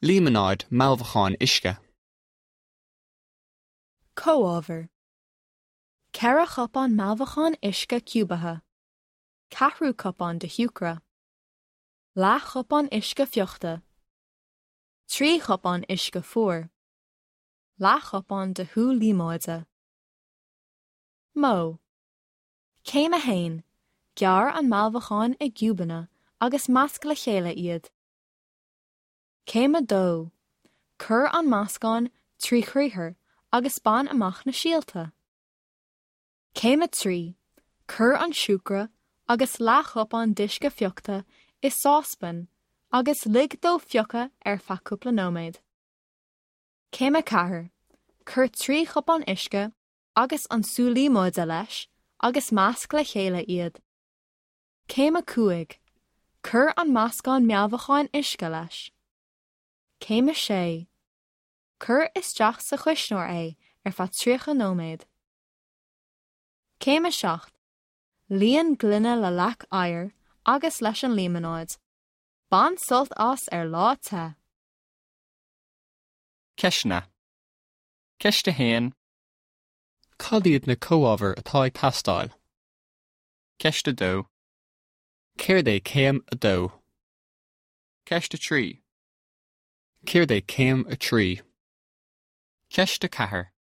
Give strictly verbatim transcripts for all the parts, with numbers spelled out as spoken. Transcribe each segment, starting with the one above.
Líomanáid mealbhacán uisce. Comhábhair. Ceithre chupán mealbhacán uisce ciúbaithe. Ceathrú cupán de shiúcra. Leathchupán uisce fiuchta. Trí chupán uisce fuar. Leathchupán de shú líomóide. Modh. Céim a haon, Gearr an mealbhacán i gciúbanna agus measc le chéile iad. Céim a dó, Cuir an meascán trí chriathar agus bain amach na síolta. Céim a trí, Cuir an siúcra agus leathchupán d'uisce fiuchta i sáspan agus lig dó fiuchadh ar feadh cúpla nóiméad. Céim a ceathair, Cuir trí chupán uisce agus an sú líomóide leis agus measc le chéile iad. Céim a cúig, Cuir an meascán mealbhacáin uisce leis. Céim a sé, Cuir isteach sa chuisneoir é ar feadh tríocha nóiméad. Céim a seacht, Líon gloine le leac oighir agus leis an líomanáid. Bain sult as ar lá te. Ceisteanna. Ceist a haon. Cad iad na comhábhair atá ag teastáil? Ceist a dó. Céard é céim a dó? Ceist a trí. Céard é céim a trí? Ceist a ceathair.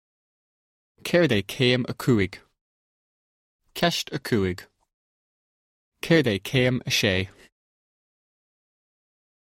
Céard é céim a cúig? Ceist a cúig. Céard é céim a sé?